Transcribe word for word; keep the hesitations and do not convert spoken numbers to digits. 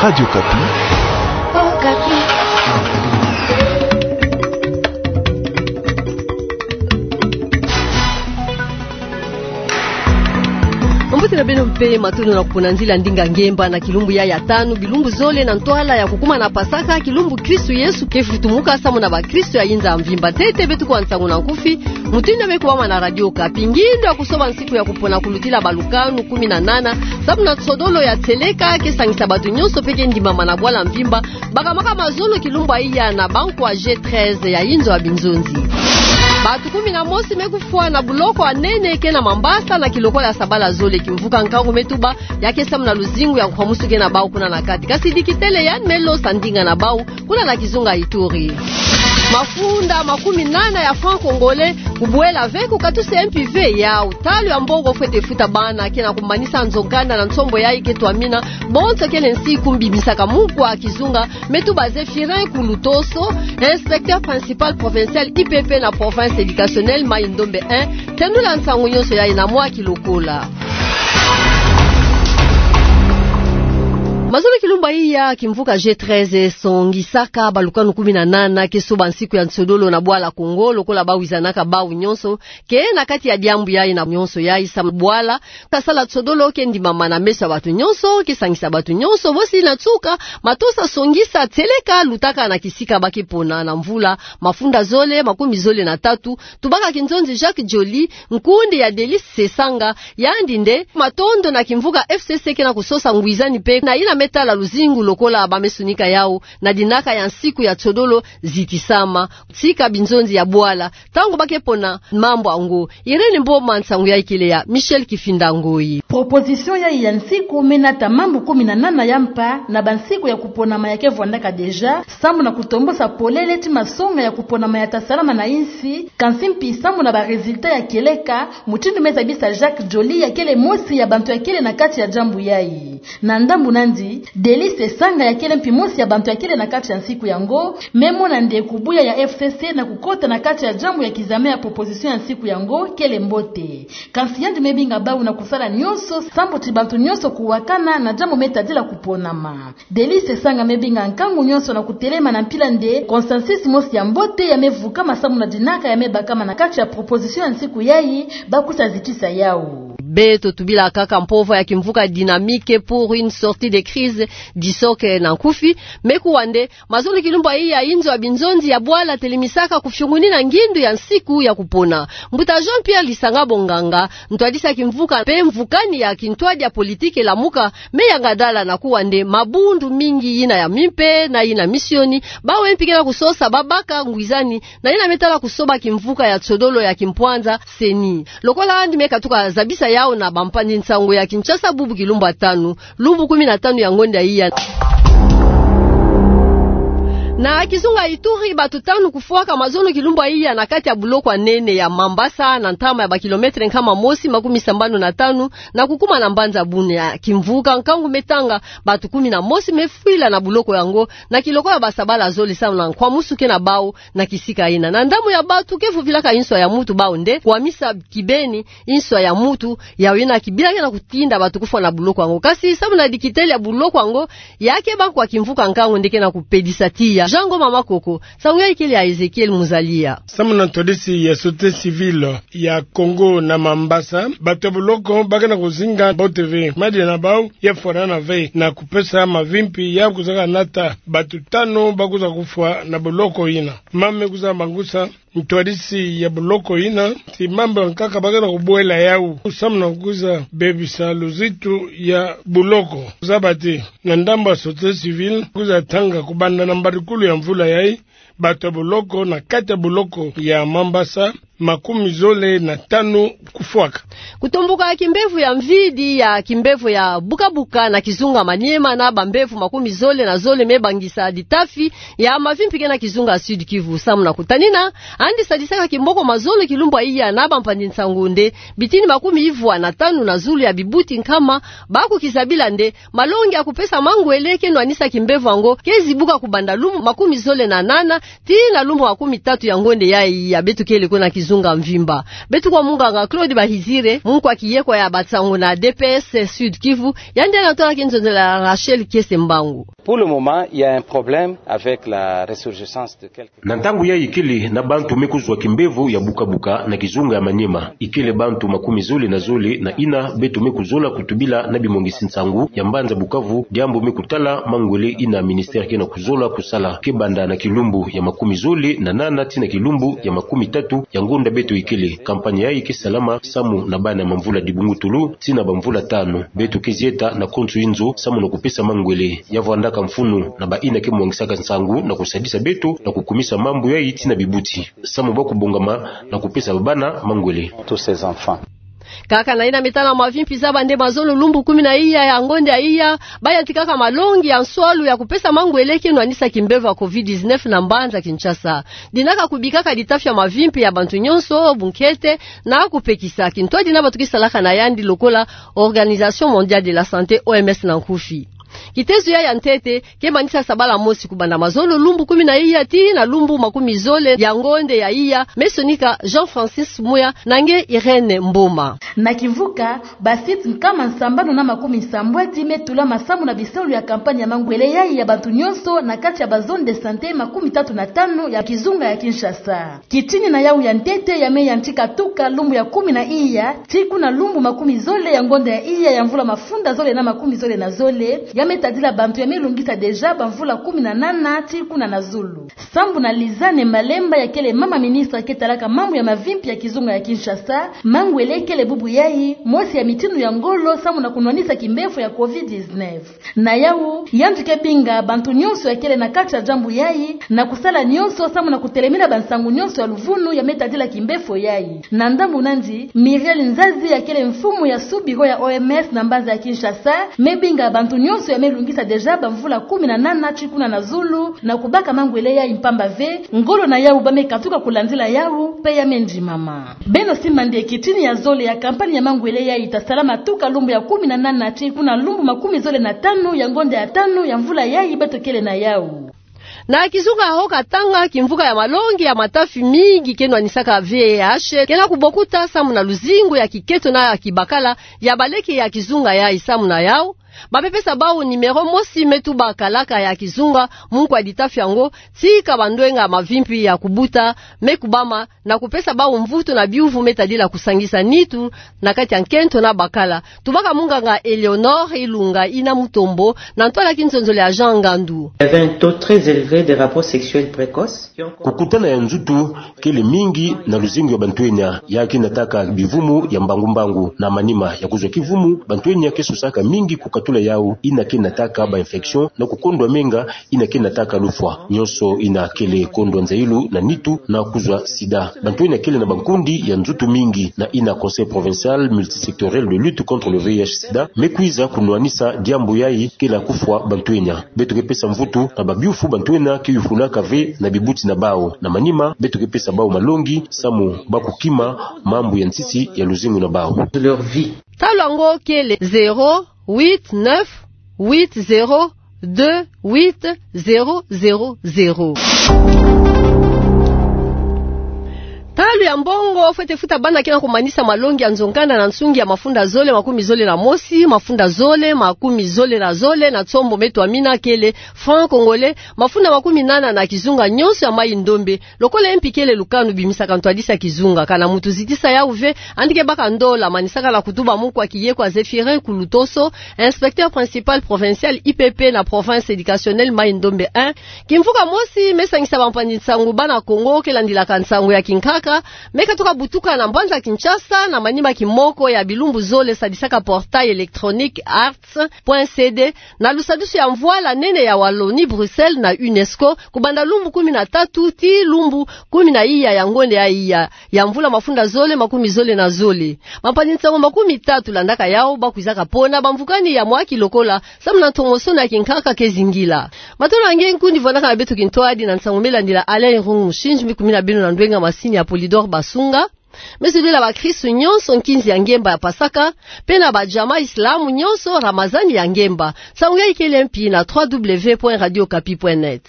Radio Okapi. Okapi. Mbote na beno mpe, matondo na kupona nzila ndinga ngemba na kilumbu ya ya tanu, bilumbu zole na ntwala ya kukuma na Pasaka, kilumbu Kristu Yesu ke futumuka samu na bakristu ya inza mvimba. Ntete beto kwa nsangu na nkufi, mutindu me kubama na Radio Okapi. Ngindo ya kusoba nsiku ya kupona kulutila balukanu kumi na nana, samu na nsodolo ya tieleka ke sangisa bato nyonso mpe ke ndimama na bwala mvimba, baka maka mazono kilumbu ya iya na bankwa G treize ya inzo ya binzonzi. Bato kumi na mosi me kufwa na buloko ya nene ke na Mambasa na kilokolo ya sabala zole. Kimvuka nkangu me tuba, ya ke samu na luzingu ya nkwamusu ke na bau kuna na kati. Kasi dikitele yandi me losa ndinga na bau kuna na kizunga Ituri. Mafunda makumi nana ya francs congolais kubwela ve ku katusa M P V yau. Talu ya mbongo fwete futa bana ke na kumanisa nzo nkanda na nsombo yayi ke twamina, bonso kele nsi kumbi bisaka mukwa kizunga, me tuba Zéphirin Kulutoso, inspecteur principal provincial I P P na province éducationnelle Mayi-Ndombe un, tendula nsangu nyonso yayi na mwa kilokola. Mazono kilumbu ya iya, kimvuka G treize songisaka balukanu kumi na nana ke soba nsiku ya nsodolo na bwala Kongo, lokola bawizanaka bau nyonso, ke na kati ya diambu yayi na nyonso yayi sa bwala, kasala nsodolo ke ndimama na meso ya bato nyonso, ke sangisa bato nyonso, bosi na nsuka, matosa songisa tieleka lutaka na kisika ba ke pona na mvula mafunda zole, makumi zole na tatu, tubaka kinzonzi Jacques Joly, nkundi ya Delice Sesanga, yandi nde matondo na kimvuka F C C ke na kusosa ngwizani mpe na yina me tala luzingu lokola ba me sunika yau, na dinaka ya nsiku ya nsodolo zitisama, tika binzonzi ya bwala, ntangu ba ke pona mambu yango. Irène Mboma, nsangu yayi kele ya Michel Kifinda Ngoyi. Proposition yayi ya nsiku me nata mambu kumi na nana ya mpa na bansiku ya kuponama ya ke vwandaka déjà, samu na kutombosa polele ti masonga ya kuponama ya ta salama na insi, kansi mpi samu na ba résultats ya kieleka, mutindu me zabisa Jacques Joly ya kele mosi ya bantu ya kele na kati ya diambu yayi. Na ndambu nandi, Delice Sesanga ya kele mpi mosi ya bantu ya kele na kati ya nsiku yango, me mona nde kubuya ya F C C na kukota na kati ya diambu ya kizame ya proposition ya nsiku yango kele mbote. Kansi yandi me binga bau na kusala nyonso, sambu ti bantu nyonso kuwakana na diambu me tadila kuponama. Delice Sesanga me binga nkangu nyonso na kutelema na mpila nde consensus mosi ya mbote ya me vukama samu na dinaka ya me bakama na kati ya proposition ya nsiku yayi, ba kusa zikisa yau. Beto tubila kaka mpova ya kimvuka Dynamique pour une sortie de crise, DISOC na nkufi, me kuwa nde mazono kilumbu ya iya inzo ya binzonzi ya bwala telemisaka kufiungunina ngindu ya nsiku ya kupona. Mbuta Jean-Pierre Lisanga Bonganga, ntwadisi ya kimvuka mpe mvukani ya kintwadi ya politique Lamuka, me yanga dala na kuwa nde mabundu mingi, yina ya mimpe na yina misioni, bawu mpi ke na kusosa babaka ngwizani na yina me tala kusoba kimvuka ya nsodolo ya kimpwanza, CENI. Lokola yandi me katuka zabisa yau na bampangi nsangu ya Kinshasa bubu kilumbu ya tanu, lumbu kumi na tanu ya ngonda ya iya. Na kizunga Ituri, bato tanu kufwaka mazono kilumbu ya iya na kati ya buloko ya nene ya Mambasa, na ntama ya ba kilomètre nkama mosi makumi sambanu na tanu, na kukuma na mbanza Bunia. Kimvuka nkangu me tanga, bato kumi na mosi me fwila na buloko yango, na kilokolo ya ba sabala zole samu na nkwamusu ke na bau na kisika yina. Na ndambu ya bato ke vuvilaka inswa ya mutu, bau nde kwamisa kibeni inswa ya mutu, yawu yina kibila ke na kutinda bato kufwa na buloko yango. Kasi samu na dikitele ya buloko yango, ya ke bankwa kimvuka nkangu nde ke na kupedisa tiya. Jean Ngoma Makoko, nsangu yayi kele ya Ezekiel Muzalia. Samu na ntwadisi ya Sûreté civile ya Congo na Mambasa, bato ya buloko ba ke na kuzinga mbote ve, madia na bau ya fwanana ve, na kupesa mavi mpi ya kuzaka nata bato tanu ba kuza kufwa na buloko yina. Mama me kuza bangusa ntwadisi ya buloko yina, ti mambu ya nkaka ba ke na kubwela yau samu na kuza bebisa luzitu ya buloko. Zaba ti na ndambu ya Sûreté civile, kuza tanga kubanda na mbadukulu ya mvula yayi, bato ya buloko na kati ya buloko ya Mambasa makumi zole na tanu kufwaka. Kutomboka ya kimbevo ya mvidi ya kimbevo ya bukabuka na kizunga Maniema na bambevo makumi zole na zole me bangisa ditafi ya mavi mpi ke na kizunga Sud-Kivu. Samu na kutanina, yandi sadisaka kimboko mazono kilumbu ya iya na bampangi nsangu nde bitini makumi ivwa na tanu na zulu ya bibuti nkama ba kukizabila nde malongi ya kupesa mangwele ke nwanisa kimbevo yango ke zibuka kubanda lumbu makumi zole na nana Tii na lumbu makumi tatu ya ngonde ya iya, beto kele ko na kizunga mvimba. Beto kwa munganga Claude Bahizire, mukwa kiyekwa ya bansangu na D P S Sud-Kivu, yandi anatwala kinzonzela Rachel Kiese Mbangu. Pour le moment, il y a un problème avec la ressurgence de quelques... Na ntangu yayi kele na bantu me kuzwa kimbevo ya buka-buka na kizunga ya Maniema. Ikele bantu makumi zole na zole na ina beto me kuzola kutubila na bimwangisi nsangu ya mbanza Bukavu, diambu me kutala mangwele ina ministère ke na kuzola kusala. Ke banda na kilumbu ya makumi zole na nana tii na kilumbu ya makumi tatu ya ngonda beto ikele. Kampanye yayi ke salama samu na bana ya mamvula dibungutulu tii na bamvula tanu. Beto ke zieta na konso inzo samu na kupesa mangwele. Ya vwandaka mfunu na baina ke mwangisaka nsangu na kusadisa beto na kukumisa mambu yayi tii na bibuti, samu ba kubongama na kupesa babana mangwele. Tous ces enfants. Kaka na ina me tala mavimpi za bande mazolo lumbu kumi na iya ya ngonde ya iya, bayantikaka malongi ya nswalu ya kupesa mangwele ke nwanisa kimbevo ya covid dix-neuf na mbanza Kinshasa. Dinaka kubikaka ditafi ya mavimpi ya bantu nyonso, bunkete, na kupekisa kintwadi na bantu ke salaka na yandi lokola Organisation Mondiale de la Santé, O M S na nkufi. Kitezo yayi ya ntete ke manisa sabala mosi kubanda mazolo lumbu kumi na iya tii na lumbu makumi zole ya ngonde ya iya, me sonika Jean-Francis Muya na nge Irène Mboma. Na kimvuka, ba sites nkama nsambanu na makumi nsambwadi me tulama samu na bisalu ya kampanye ya mangwele yayi ya bantu nyonso na kati ya ba zones de santé makumi tatu na tanu ya kizunga ya Kinshasa. Kitini na yawu ya ntete ya me yantika tuka lumbu ya kumi na iya tii kuna lumbu makumi zole ya ngonda ya iya ya mvula mafunda zole na makumi zole na zole, ya me tadila bantu ya me lungisa déjà bamvula kumi na nana tii kuna na zulu. Sambu na Lizane Malemba, ya kele mama ministre ke talaka mambu ya mavimpi ya kizunga ya Kinshasa, mangwele kele bubu yayi mosi ya mitindu ya ngolo samu na kunwanisa kimbevo ya covid dix-neuf. Na yawu, yandi ke binga bantu nyonso ya kele na kati ya diambu yayi na kusala nyonso samu na kutelemina bansangu nyonso ya luvunu ya me tadila kimbevo yayi. Na ndambu nandi, Muriel Nzazi, ya kele mfumu ya sous-bureau ya O M S na mbanza ya Kinshasa, me binga bantu nyonso ya me lungisa déjà bamvula kumi na nana tii kuna na zulu na kubaka mangwele yayi, mpamba ve ngolo na yawu ba me katuka kulandila yawu mpe ya me ndimama. Beno simba nde kitini ya zole ya kampanye ya mangwele yayi ta salama tuka lumbu ya kumi na nana tii kuna lumbu makumi zole na tanu ya ngonda ya tanu ya mvula yayi beto kele na yawu. Na kizunga ya Haut-Katanga, kimvuka ya malongi ya matafi mingi ke nwanisaka V I H ke na kubokuta samu na luzingu ya kiketo na ya kibakala ya baleke ya kizunga yayi. Samu na yawu, ba me pesa bawu numéro mosi me tuba kalaka ya kizunga mu nkwa ditafi yango, tii ka bandwenga mavimpi ya kubuta me kubama, na kupesa bawu mvutu na biuvu me tadila kusangisa nitu na kati ya nkento na bakala. Tubaka munganga Eleonore Ilunga Ina Mutombo na ntwala kinzonzolo ya Jean Ngandu. Il y avait un taux très élevé de rapports sexuels précoces. Kukutana ya nzutu kele mingi na luzingu ya bantwenya, ya ke nataka bivumu ya mbangu-mbangu. Na manima ya kuzwa kivumu, bantwenya ke sosaka mingi kukatula yawu ina ke nataka ba infection na kukondwa menga ina ke nataka lufwa. Nyonso ina kele kondwa nzayilu na nitu na kuzwa sida. Bantwenya kele na bankundi ya nzutu mingi, na ina Conseil provincial multisectoriel de lutte contre le V I H sida me kwiza kunwanisa diambu yayi ke la kufwa bantwenya. Beto ke pesa mvutu na babiuvu bantwenya ke yufulaka ve na bibuti na bawu. Na manima, beto ke pesa bawu malongi samu ba kukima mambu ya ntiti ya luzingu na bawu. Leur vie. Ntalu yango kele zéro huit neuf huit zéro deux huit zéro zéro zéro. Ntalu ya mbongo fwete futa bana ke na kumanisa malongi ya nzo-nkanda na nsungi ya mafunda zole makumi zole na mosi, mafunda zole makumi zole na zole na nsombo me twamina kele franc congolais, mafunda makumi nana na kizunga nyonso ya Maï-Ndombe. Lokola mpi kele lukanu bimisaka ntwadisi ya kizunga, kana mutu zitisa yawu ve, yandi ke baka ndola. Manisaka la kutuba mukwa kiyekwa Zéphirin Kulutoso, inspecteur principal provincial I P P na province éducationnelle Maï-Ndombe un. Kimvuka mosi me sangisa bampangi nsangu bana Kongo ke landilaka nsangu ya kinkaka, me katuka butuka na mbanza Kinshasa, na manima kimoko ya bilumbu zole sadisaka portail électronique arts point C D, na lusadusu ya mvwala nene ya Wallonie-Bruxelles na UNESCO, kubanda lumbu kumi na tatu tii lumbu kumi na iya ya ngonde ya iya ya mvula mafunda zole makumi zole na zole. Bampangi nsangu makumi tatu landaka yawu ba kwizaka pona bamvukani ya mwa kilokola, samu na ntomosono ya kinkaka ke zingila. Matondo ya nge nkundi vwandaka na beto kintwadi na nsangu me landila. Alain Irung Mushindji, mi kumina beno na ndwenga masini ya Polydor Basunga. Me zolila bakristu nyonso nkinzi ya ngemba ya Pasaka, mpe na bajama islamu nyonso Ramazani ya ngemba. Nsangu yayi kele mpi na trois W point radio okapi point net.